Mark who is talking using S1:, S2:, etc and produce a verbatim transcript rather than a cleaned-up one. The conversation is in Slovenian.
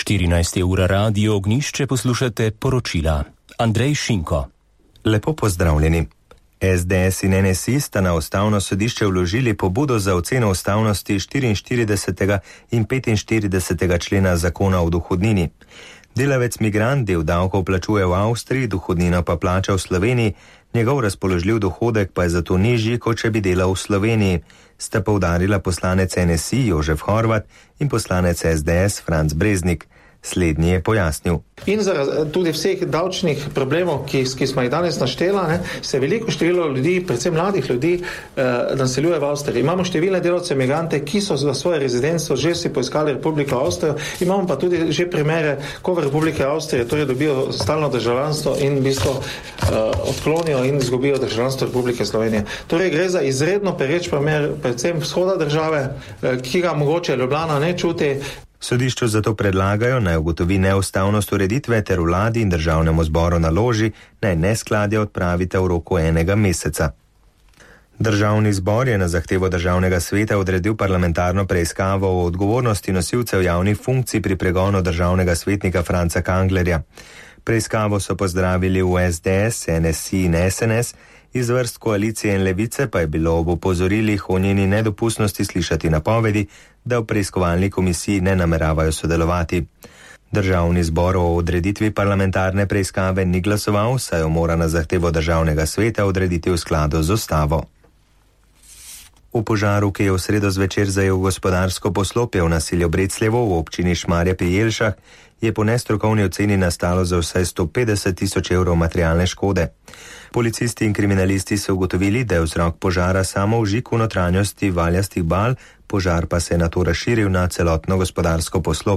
S1: štirinajsta ura Radio Ognjišče poslušate poročila. Andrej Šinko.
S2: Lepo pozdravljeni. S D S in N S I sta na ustavno sodišče vložili pobudo za oceno ustavnosti štiriinštiridesetega in petinštiridesetega člena zakona o dohodnini. Delavec migrant del davkov plačuje v Avstriji, dohodnino pa plača v Sloveniji, njegov razpoložljiv dohodek pa je zato nižji, kot če bi delal v Sloveniji, sta poudarila poslanec N S I Jožef Horvat in poslanec S D S Franc Breznik. Slednji je pojasnil.
S3: In zaradi tudi vseh davčnih problemov, ki, ki smo jih danes naštela, ne, se veliko število ljudi, predvsem mladih ljudi, eh, naseljuje v Avstriji. Imamo številne delavce migrante, ki so za svoje rezidenstvo že si poiskali Republiko Avstrijo. Imamo pa tudi že primere, ko v Republike Avstrije torej dobijo stalno državljanstvo in v bistvu eh, odklonijo in izgubijo državljanstvo Republike Slovenije. Torej gre za izredno pereč primer, predvsem vzhoda države, eh, ki ga mogoče Ljubljana ne čuti.
S2: Sodišču zato predlagajo, naj ugotovi neustavnost ureditve ter vladi in državnemu zboru naloži, naj neskladje odpravite v roku enega meseca. Državni zbor je na zahtevo državnega sveta odredil parlamentarno preiskavo o odgovornosti nosilcev javnih funkcij pri pregonu državnega svetnika Franca Kanglerja. Preiskavo so pozdravili v S D S, N S I in S N S, iz vrst koalicije in levice pa je bilo ob opozorilih o njeni nedopustnosti slišati napovedi, da v preiskovalni komisiji ne nameravajo sodelovati. Državni zbor o odreditvi parlamentarne preiskave ni glasoval, saj jo mora na zahtevo državnega sveta odrediti v skladu z ustavo. V požaru, ki je v sredo zvečer zajel gospodarsko poslopje v naselju Brecljevo v občini Šmarje pri Jelšah, je po nestrokovni oceni nastalo za vsaj sto petdeset tisoč evrov materialne škode. Policisti in kriminalisti so ugotovili, da je vzrok požara samo vžig v notranjosti valjastih bal, požar pa se je nato razširil na celotno gospodarsko poslopje.